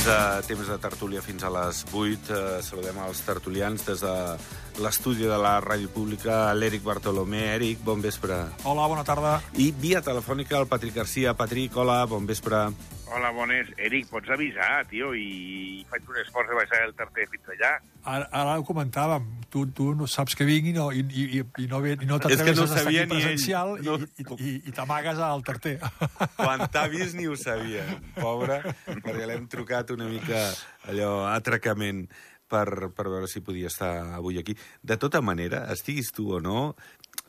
Temps de tertúlia fins a les 8. Saludem els tertulians des de l'estudi de la Ràdio Pública, l'Eric Bartolomé. Eric, bon vespre. Hola, bona tarda. I via telefònica el Patrick Garcia. Patrick, hola, bon vespre. Hola, bones. Eric, pots avisar, tio, i faig un esforç de baixar el tarter fins allà. Ara ho comentàvem. Tu no saps que vinc i no t'atreveixes a estar aquí presencial i t'amagues al tarter. Quan t'ha vist ni ho sabia, pobre, perquè l'hem trucat una mica allò atracament per veure si podia estar avui aquí. De tota manera, estiguis tu o no,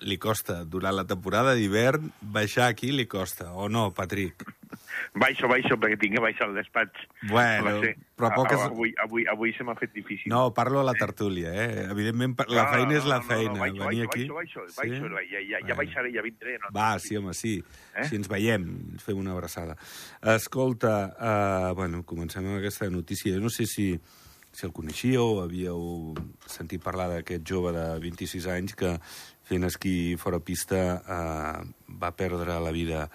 li costa, durant la temporada d'hivern, baixar aquí li costa, o no, Patrick? Baixo, perquè tinc que baixar al despatx. Bueno, però poques... Avui se m'ha fet difícil. No, parlo a la tertúlia, Evidentment, la feina és la feina. Venir aquí... Baixo, ja baixaré, ja vindré. No? Va, sí, home, sí. Si ens veiem, fem una abraçada. Escolta, comencem amb aquesta notícia. Jo no sé si el coneixíeu, havíeu sentit parlar d'aquest jove de 26 anys que fent esquí fora pista va perdre la vida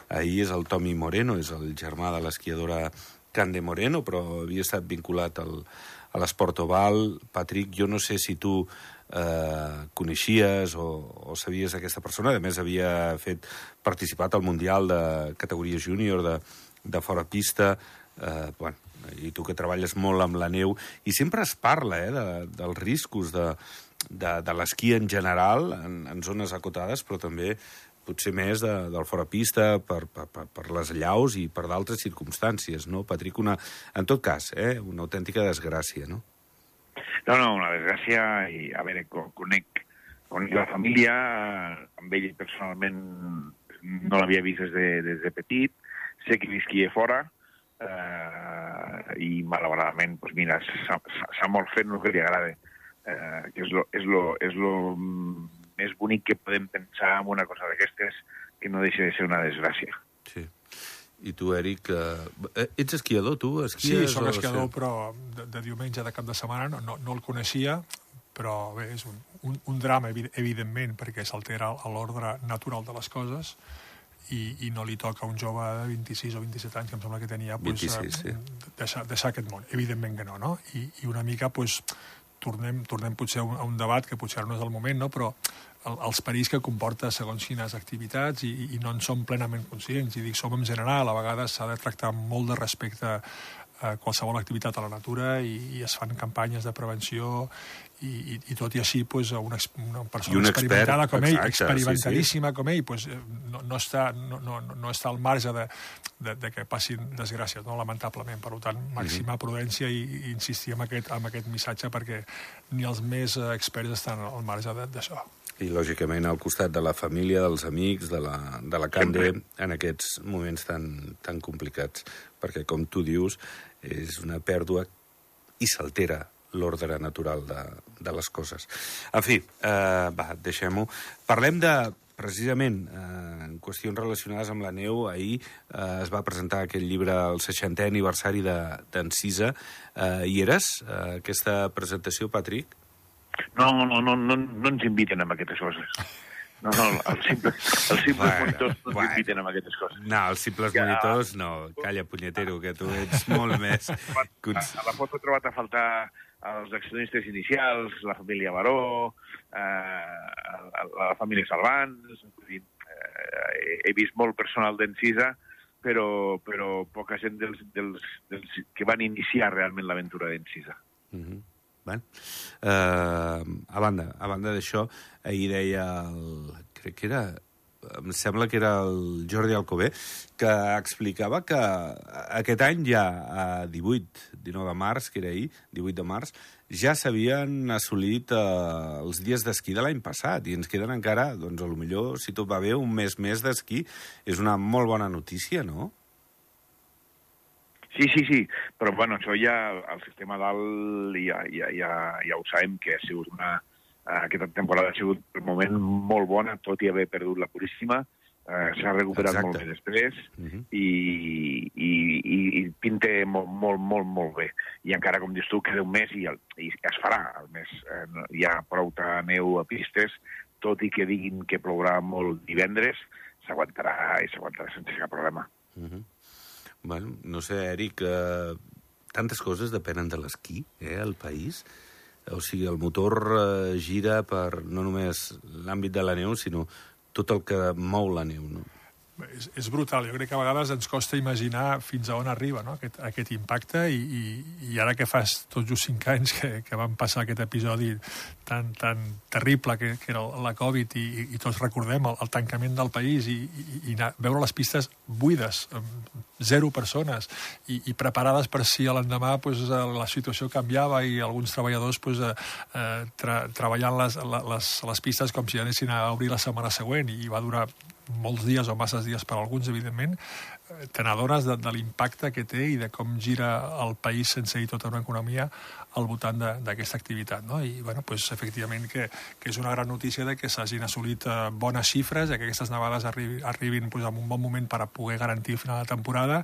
ahir. És el Tommy Moreno, és el germà de l'esquiadora Cande Moreno, però havia estat vinculat a l'esport oval. Patrick, jo no sé si tu coneixies o sabies aquesta persona. A més, havia participat al Mundial de categoria júnior de fora pista. I tu que treballes molt amb la neu, i sempre es parla dels riscos de l'esquí en general, en zones acotades, però també potser més del fora pista, per les allaus i per d'altres circumstàncies, no, Patrick? En tot cas, una autèntica desgràcia, no? No, una desgràcia, i a veure, conec la família, amb ell personalment no l'havia vist des de petit, sé que l'esquia fora, i malauradament, doncs mira, s'ha mort fent el que li agrada, que és lo més bonic que podem pensar en una cosa d'aquestes, que no deixa de ser una desgràcia. Sí. I tu, Eric, ets esquiador, tu? Sí, soc esquiador, però de diumenge, de cap de setmana, no el coneixia, però bé, és un drama, evidentment, perquè s'altera l'ordre natural de les coses, i no li toca a un jove de 26 o 27 anys, que em sembla que tenia, 26, sí. deixar aquest món. Evidentment que no? I una mica, tornem potser a un debat, que potser no és el moment, no? Però els perills que comporta segons quines activitats i no en som plenament conscients. I dic som en general, a vegades s'ha de tractar amb molt de respecte a qualsevol activitat a la natura i es fan campanyes de prevenció i tot i així una persona experimentada com ell, experimentadíssima com ell, no està al marge de que passin desgràcies, no? Lamentablement. Per tant, màxima prudència i insistir en aquest missatge, perquè ni els més experts estan al marge d'això. I, lògicament, al costat de la família, dels amics, de la Cande, en aquests moments tan complicats. Perquè, com tu dius, és una pèrdua i s'altera l'ordre natural de les coses. En fi, deixem-ho. Parlem precisament, en qüestions relacionades amb la neu. Ahir es va presentar aquest llibre, el 60è aniversari d'Encisa. Hi eres, aquesta presentació, Patrick? No ens inviten a aquestes coses. No, els simples monitors no ens inviten a aquestes coses. No, els simples monitors no. Calla, punyetero, que tu ets molt més... A la foto he trobat a faltar els accionistes inicials, la família Baró, la família Salvans... He vist molt personal d'Encisa, però poca gent dels que van iniciar realment l'aventura d'Encisa. A banda d'això, ahir deia em sembla que era el Jordi Alcover, que explicava que aquest any ja, a 19 de març, que era ahir, 18 de març, ja s'havien assolit els dies d'esquí de l'any passat, i ens queden encara, doncs, potser, si tot va bé, un mes més d'esquí. És una molt bona notícia, no? Sí, però això ja, el sistema dalt ja ho sabem, que ha sigut aquesta temporada ha sigut per moment molt bona, tot i haver perdut la Puríssima, s'ha recuperat molt bé després, i pinta molt bé. I encara, com dius tu, queda un mes i es farà el mes. Hi ha prou neu a pistes, tot i que diguin que plourà molt divendres, s'aguantarà sense cap problema. Bueno, no sé, Eric, tantes coses depenen de l'esquí, al país. O sigui, el motor gira per no només l'àmbit de la neu, sinó tot el que mou la neu, no? És brutal. Jo crec que a vegades ens costa imaginar fins a on arriba, no? aquest impacte i ara que fas tot just 5 anys que vam passar aquest episodi tan terrible que era la Covid i tots recordem el tancament del país i veure les pistes buides, 0 persones i preparades per si a l'endemà la situació canviava i alguns treballadors treballant les pistes com si anessin a obrir la setmana següent i va durar molts dies o masses dies per a alguns, evidentment, tenedores de l'impacte que té i de com gira el país sense ir tota una economia al voltant d'aquesta activitat, no? I, efectivament, que és una gran notícia de que s'hagin assolit bones xifres, que aquestes nevades arribin en un bon moment per a poder garantir el final de temporada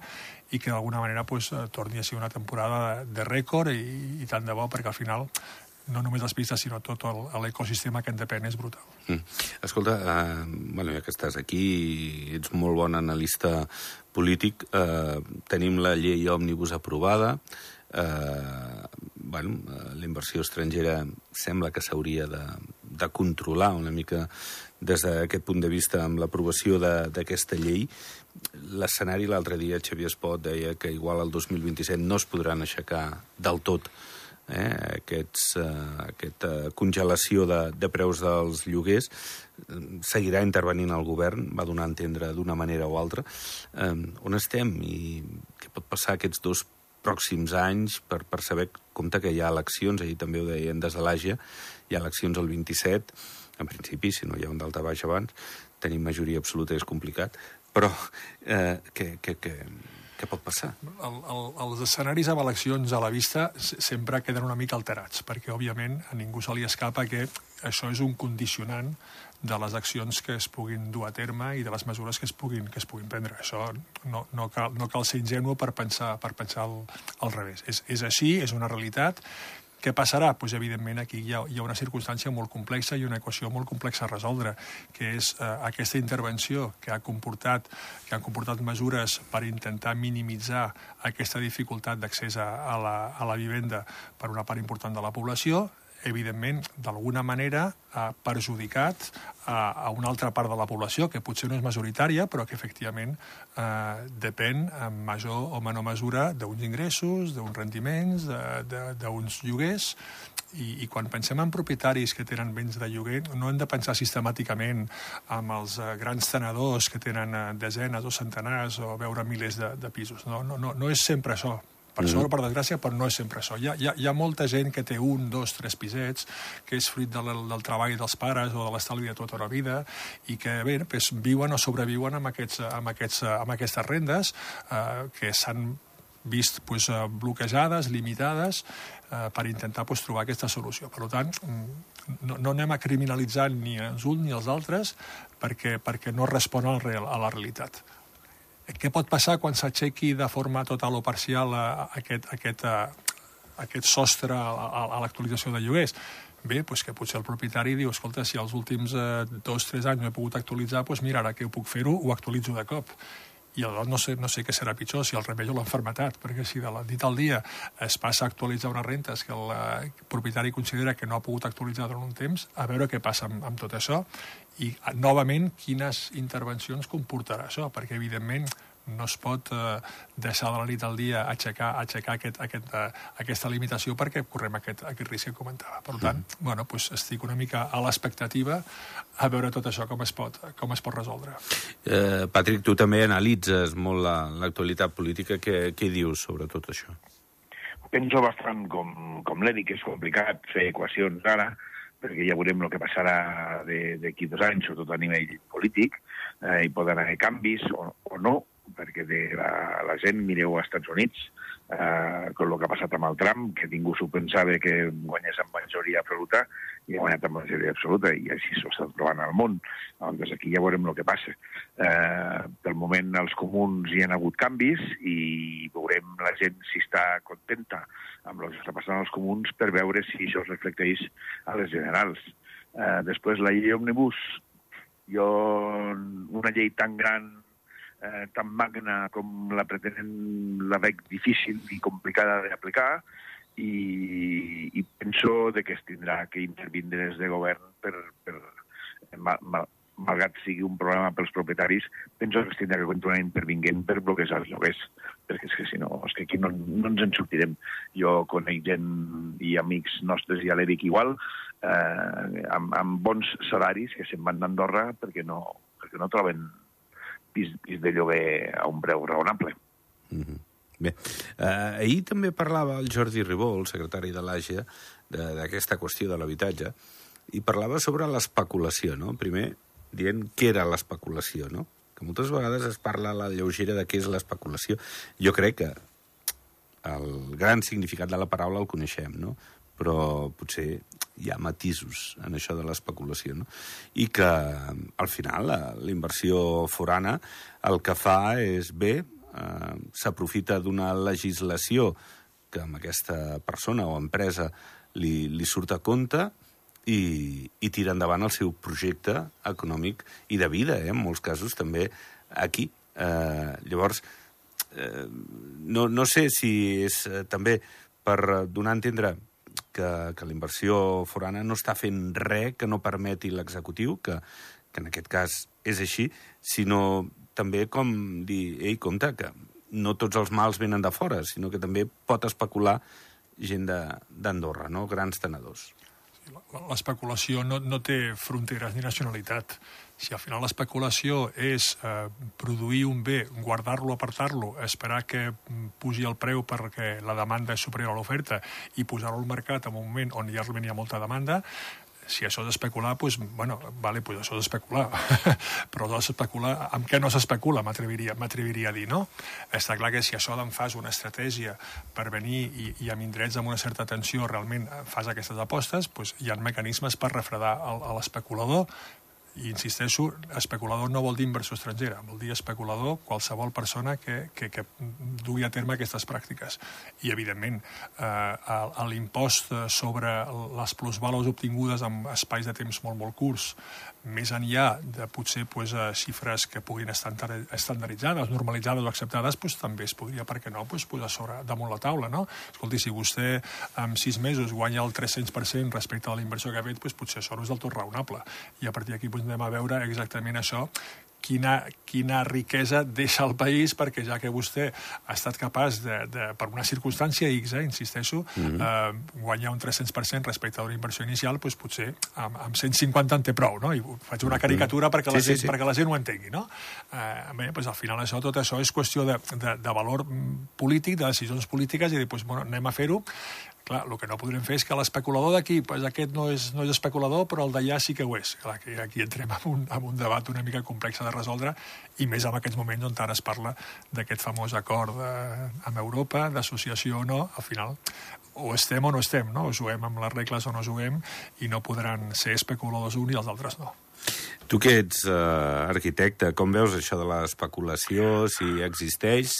i que d'alguna manera torni a ser una temporada de rècord i tant de bo, perquè al final no només les pistes, sinó tot l'ecosistema que en depèn és brutal. Escolta, ja que estàs aquí i ets molt bon analista polític, tenim la llei òmnibus aprovada, la inversió estrangera sembla que s'hauria de controlar una mica des d'aquest punt de vista amb l'aprovació d'aquesta llei. L'escenari l'altre dia, Xavier Espot deia que igual el 2027 no es podran aixecar del tot aquesta congelació de preus dels lloguers. Seguirà intervenint el govern, va donar a entendre d'una manera o altra. On estem i què pot passar aquests 2 pròxims anys per saber, compte que hi ha eleccions, ahir també ho deien des de l'Àgia, hi ha eleccions el 27, en principi, si no hi ha un daltabaix abans, tenir majoria absoluta és complicat, però què pot passar? Els escenaris amb eleccions a la vista sempre queden una mica alterats, perquè, òbviament, a ningú se li escapa que això és un condicionant de les accions que es puguin dur a terme i de les mesures que es puguin prendre. Això no cal ser ingenu per pensar al revés. És així, és una realitat. Què passarà? Evidentment, aquí hi ha una circumstància molt complexa i una equació molt complexa a resoldre, que és aquesta intervenció que han comportat mesures per intentar minimitzar aquesta dificultat d'accés a la vivenda per una part important de la població, evidentment, d'alguna manera ha perjudicat a una altra part de la població, que potser no és majoritària, però que efectivament depèn en major o menor mesura d'uns ingressos, d'uns rendiments, d'uns lloguers, i quan pensem en propietaris que tenen béns de lloguer, no hem de pensar sistemàticament en els grans tenedors que tenen desenes o centenars o veure milers de pisos. No és sempre això. Per sort, per desgràcia, però no és sempre això. Hi ha molta gent que té 1, 2, 3 pisets, que és fruit del treball dels pares o de l'estalvi de tota la vida i que viuen o sobreviuen amb aquestes rendes que s'han vist bloquejades, limitades, per intentar trobar aquesta solució. Per tant, no anem a criminalitzar ni els uns ni els altres perquè no respon a la realitat. Què pot passar quan s'aixequi de forma total o parcial aquest sostre a l'actualització de lloguers? Bé, que potser el propietari diu, escolta, si els últims 2 o 3 anys no he pogut actualitzar, mira, ara que ho puc fer-ho, ho actualitzo de cop. I aleshores no sé què serà pitjor, si el remei o l'enfermetat, perquè si de la nit al dia es passa a actualitzar unes rentes que el propietari considera que no ha pogut actualitzar durant un temps, a veure què passa amb tot això i, novament, quines intervencions comportarà això, perquè, evidentment, no es pot deixar de la nit al dia aixecar aquesta limitació perquè correm aquest risc que comentava. Per tant, estic una mica a l'expectativa a veure tot això com es pot resoldre. Patrick, tu també analitzes molt l'actualitat política. Què dius sobre tot això? Penso bastant com l'Edi, que és complicat fer equacions ara, perquè ja veurem el que passarà d'aquí 2 anys, sobretot a nivell polític, hi poden haver canvis o no, perquè la gent, mireu als Estats Units, amb el que ha passat amb el Trump, que ningú s'ho pensava que guanyés amb majoria absoluta, i ha guanyat amb majoria absoluta, i així s'ho està trobant al món. Doncs aquí ja veurem el que passa. Pel moment, als comuns hi ha hagut canvis, i veurem la gent si està contenta amb el que està passant als comuns per veure si això es reflecteix a les generals. Després, la llei òmnibus, una llei tan gran tan magna com la pretenen, la veig difícil i complicada d'aplicar, i penso que es tindrà que intervindre des de govern malgrat sigui un problema pels propietaris, penso que es tindrà que continuar intervinguent per bloquejar els lloguers, perquè és que si no, és que aquí no ens en sortirem. Jo conec gent i amics nostres i a l'ERIC igual, amb bons salaris que se'n van d'Andorra perquè no troben pis de lloguer a un preu raonable. Bé, ahir també parlava el Jordi Ribó, el secretari de l'AGE, d'aquesta qüestió de l'habitatge, i parlava sobre l'especulació, no? Primer, dient què era l'especulació, no? Que moltes vegades es parla a la lleugera de què és l'especulació. Jo crec que el gran significat de la paraula el coneixem, no? Però potser hi ha matisos en això de l'especulació, no? I que, al final, l'inversió forana el que fa és bé, s'aprofita d'una legislació que amb aquesta persona o empresa li surt a compte i tira endavant el seu projecte econòmic i de vida, en molts casos també aquí. Llavors, no sé si és també per donar a entendre que la inversió forana no està fent res que no permeti l'executiu, que en aquest cas és així, sinó també com dir, compte, que no tots els mals venen de fora, sinó que també pot especular gent d'Andorra, no? Grans tenedors. L'especulació no té fronteres ni nacionalitat. Si al final l'especulació és produir un bé, guardar-lo, apartar-lo, esperar que pugi el preu perquè la demanda és superior a l'oferta i posar-lo al mercat en un moment on ja hi ha molta demanda, si això és especular, doncs, això és especular. Però especular, amb què no s'especula, m'atreviria a dir, no? Està clar que si això d'en fas una estratègia per venir i amb indrets amb una certa atenció realment fas aquestes apostes, doncs hi ha mecanismes per refredar l'especulador. I insisteixo, especulador no vol dir inversió estrangera, vol dir especulador qualsevol persona que dugui a terme aquestes pràctiques. I, evidentment, l'impost sobre les plusvàlues obtingudes en espais de temps molt curts, més enllà de potser xifres que puguin estar estandarditzades, normalitzades o acceptades, també es podria, per què no, posar damunt la taula, no? Escolti, si vostè en 6 mesos guanya el 300% respecte a la inversió que ha fet, potser això no és del tot raonable. I a partir d'aquí anem a veure exactament això, quina riquesa deixa el país, perquè ja que vostè ha estat capaç per una circumstància X, insisteixo, guanyar un 300% respecte a una inversió inicial, doncs potser amb 150 en té prou, no? I faig una caricatura perquè la gent ho entengui, no? Bé, doncs al final tot això és qüestió de valor polític, de decisions polítiques, i dir, doncs, anem a fer-ho. Clar, el que no podrem fer és que l'especulador d'aquí, aquest no és especulador, però el d'allà sí que ho és. Clar, que aquí entrem en un debat una mica complex de resoldre, i més en aquests moments on ara es parla d'aquest famós acord amb Europa, d'associació o no. Al final, o estem o no estem, no? O juguem amb les regles o no juguem, i no podran ser especuladors uns i els altres no. Tu que ets arquitecte, com veus això de l'especulació, si existeix,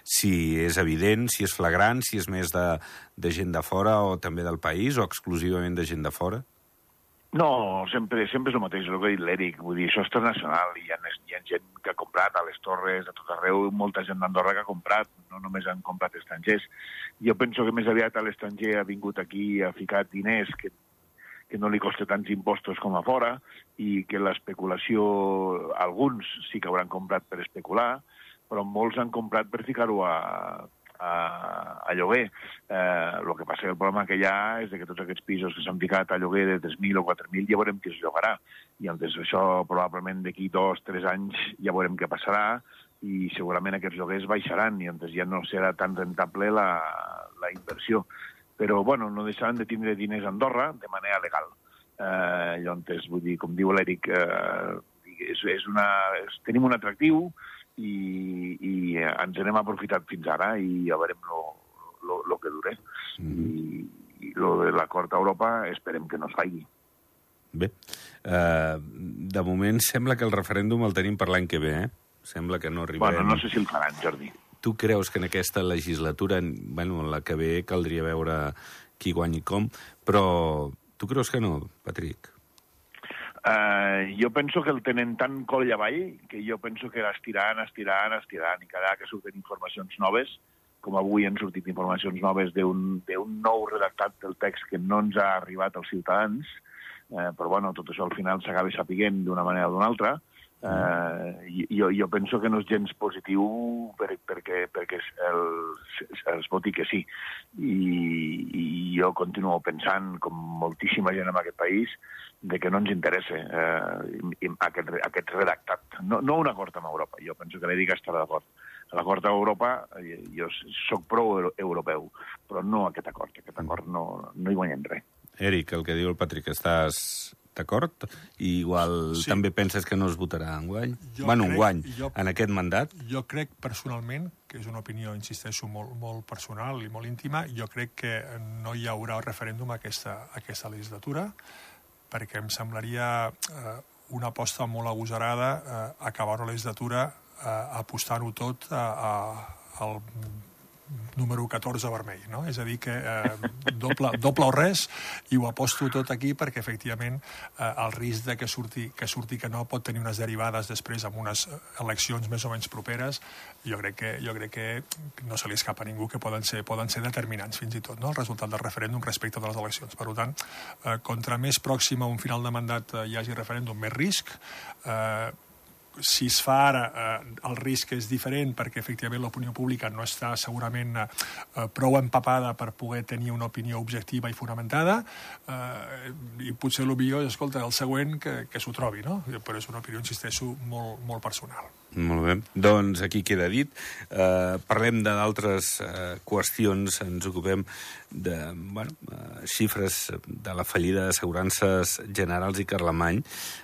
si és evident, si és flagrant, si és més de gent de fora o també del país, o exclusivament de gent de fora? No, sempre és el mateix, el que ha dit l'Eric. Vull dir, això és internacional, i hi ha gent que ha comprat a les Torres, a tot arreu, molta gent d'Andorra que ha comprat, no només han comprat estrangers. Jo penso que més aviat l'estranger ha vingut aquí i ha ficat diners que no li costa tants impostos com a fora, i que l'especulació, alguns sí que hauran comprat per especular, però molts han comprat per ficar-ho a lloguer. El que passa que el problema que hi ha és que tots aquests pisos que s'han ficat a lloguer de 3.000 o 4.000 ja veurem qui es llogarà. I llavors això probablement d'aquí 2 o 3 anys ja veurem què passarà, i segurament aquests lloguers baixaran, i llavors ja no serà tan rentable la inversió. Però, no deixaran de tindre diners a Andorra de manera legal. Llavors, vull dir, com diu l'Eric, tenim un atractiu i ens n'hem aprofitat fins ara, i ja veurem el que dure. I l'acord a Europa esperem que no es faci. Bé, de moment sembla que el referèndum el tenim per l'any que ve, Sembla que no arribarem... No sé si el faran, Jordi. Tu creus que en aquesta legislatura, en la que ve, caldria veure qui guanyi com, però tu creus que no, Patrick? Jo penso que el tenen tan coll avall que jo penso que l'estiraran, i cada que surten informacions noves, com avui han sortit informacions noves d'un nou redactat del text que no ens ha arribat als ciutadans, però bueno, tot això al final s'acaba sapiguent d'una manera o d'una altra. Jo penso que no és gens positiu perquè els voti que sí. I jo continuo pensant, com moltíssima gent en aquest país, de que no ens interessa aquest redactat. No un acord amb Europa. Jo penso que l'EDIC estarà d'acord. L'acord amb Europa, jo soc prou europeu, però no aquest acord. Aquest acord no hi guanyem res. Eric, el que diu el Patrick, estàs d'acord? I igual sí. També penses que no es votarà enguany? Enguany, en aquest mandat? Jo crec personalment, que és una opinió, insisteixo, molt personal i molt íntima, jo crec que no hi haurà referèndum aquesta legislatura, perquè em semblaria una aposta molt agosarada acabar una legislatura apostant-ho tot al número 14 vermell, no? És a dir, que doble o res, i ho aposto tot aquí perquè, efectivament, el risc de que surti que no pot tenir unes derivades després amb unes eleccions més o menys properes, jo crec que no se li escapa a ningú que poden ser determinants, fins i tot, no? El resultat del referèndum respecte de les eleccions. Per tant, contra més pròxim a un final de mandat hi hagi referèndum, més risc. Si es fa ara, el risc és diferent perquè, efectivament, l'opinió pública no està segurament prou empapada per poder tenir una opinió objectiva i fonamentada, i potser el millor és, escolta, el següent que s'ho trobi, no? Però és una opinió, insisteixo, molt personal. Molt bé. Doncs aquí queda dit. Parlem d'altres qüestions. Ens ocupem de xifres de la fallida d'assegurances Generals i Carlemany.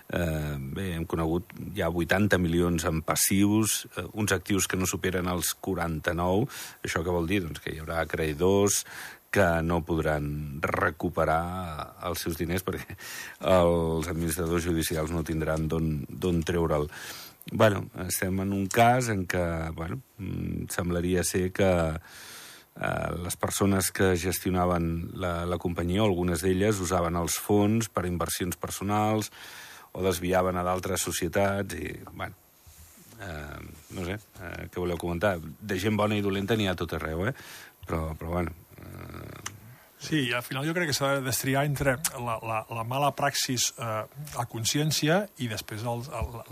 Bé, hem conegut ja 80 milions en passius, uns actius que no superen els 49. Això què vol dir? Doncs que hi haurà acreïdors que no podran recuperar els seus diners perquè els administradors judicials no tindran d'on treure'l. Estem en un cas en què semblaria ser que les persones que gestionaven la companyia, algunes d'elles, usaven els fons per inversions personals o desviaven a d'altres societats i, no sé, què voleu comentar? De gent bona i dolenta n'hi ha a tot arreu, però Sí, al final jo crec que s'ha de destriar entre la mala praxis a consciència i després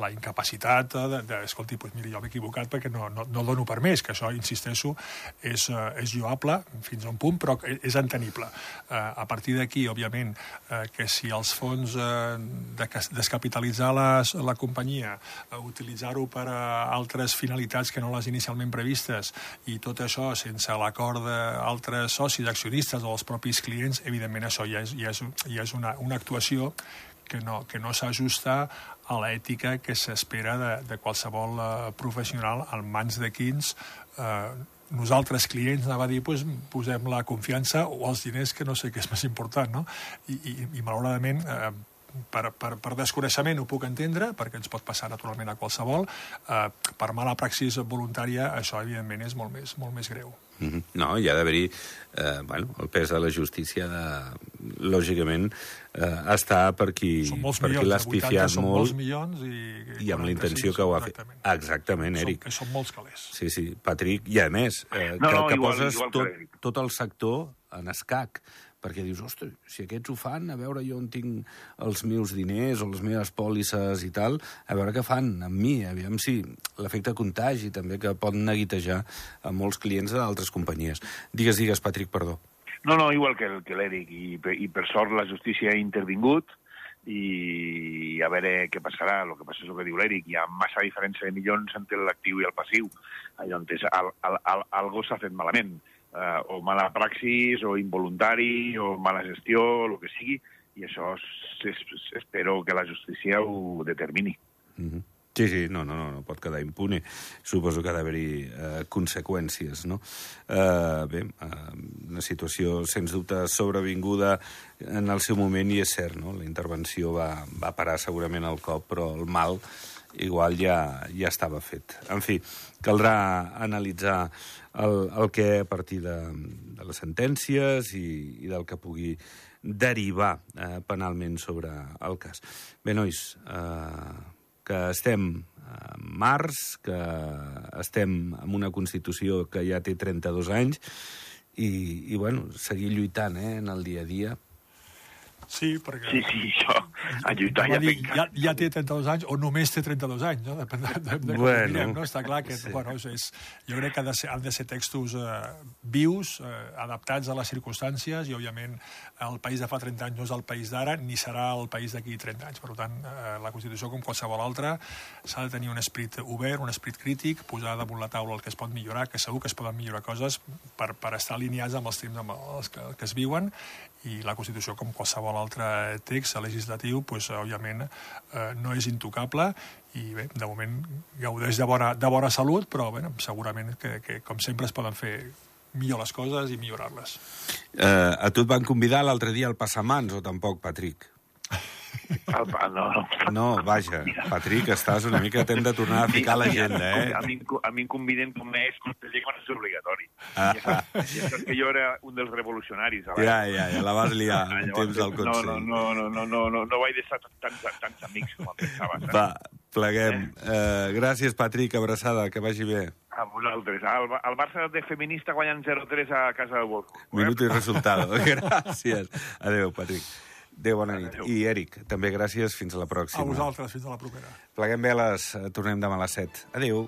la incapacitat escolti, doncs mira, jo m'he equivocat perquè no dono per més, que això, insisteixo, és lloable fins a un punt, però és entenible. A partir d'aquí, òbviament, que si els fons descapitalitzar la companyia, utilitzar-ho per a altres finalitats que no les inicialment previstes, i tot això sense l'acord d'altres socis, accionistes o els propis clients, evidentment això ja és una actuació que no s'ajusta a l'ètica que s'espera de qualsevol professional en mans de quins nosaltres, clients, anava a dir, posem la confiança o els diners, que no sé què és més important, no? I malauradament, per desconeixement ho puc entendre, perquè ens pot passar naturalment a qualsevol. Per mala praxis voluntària, això evidentment és molt més greu. No, hi ha d'haver-hi el pes de la justícia lògicament està per qui l'ha espifiat molt i amb la intenció que ho ha fet. Exactament, Eric. Que són molts calés. Sí, Patrick, i a més que poses tot el sector en escac, perquè dius, ostres, si aquests ho fan, a veure jo on tinc els meus diners o les meves pòlisses i tal, a veure què fan amb mi, aviam si l'efecte contagi també, que pot neguitejar a molts clients d'altres companyies. Digues, Patrick, perdó. No, igual que l'Eric, i per sort la justícia ha intervingut, i a veure què passarà. El que passa és el que diu l'Eric, hi ha massa diferència de milions entre l'actiu i el passiu, allò on algú s'ha fet malament. O mala praxis, o involuntari, o mala gestió, o el que sigui, i això espero que la justícia ho determini. Sí, no pot quedar impune. Suposo que ha d'haver-hi conseqüències, no? Bé, una situació, sens dubte, sobrevinguda en el seu moment, i és cert, no? La intervenció va parar segurament el cop, però el mal igual ja estava fet. En fi, caldrà analitzar el que a partir de les sentències i del que pugui derivar penalment sobre el cas. Bé, nois, que estem en març, que estem amb una Constitució que ja té 32 anys i bueno, seguir lluitant en el dia a dia. Sí, perquè... Sí, això, a lluitar ja té 32 anys, o només té 32 anys, no? Depèn de com ho mirem, no? Està clar que, bueno, jo crec que han de ser textos vius, adaptats a les circumstàncies, i, òbviament, el país de fa 30 anys no és el país d'ara, ni serà el país d'aquí 30 anys. Per tant, la Constitució, com qualsevol altra, s'ha de tenir un esperit obert, un esperit crític, posar damunt la taula el que es pot millorar, que segur que es poden millorar coses per estar alineats amb els temps amb els que es viuen, i la Constitució, com qualsevol altre text legislatiu, doncs, òbviament, no és intocable, i bé, de moment gaudeix de bona salut, però bé, segurament que com sempre es poden fer millor les coses i millorar-les. A tu et van convidar l'altre dia al Passamans, o tampoc, Patrick? No. No, vaja, Patrick, estàs una mica... T'hem de tornar a ficar a l'agenda, A mi em conviden com a conseller quan és obligatori. Ja saps que jo era un dels revolucionaris. Ja, la vas liar en temps del Consell. No vaig deixar tants amics com em pensaves. Va, pleguem. Gràcies, Patrick, abraçada, que vagi bé. A vosaltres. El Barça de feminista guanyant 0-3 a casa del Wolfsburg. Minuto i resultado. Gràcies. Adéu, Patrick. Adéu, bona nit. I, Eric, també gràcies. Fins a la pròxima. A vosaltres, fins a la propera. Pleguem veles. Tornem demà a les 7. Adéu.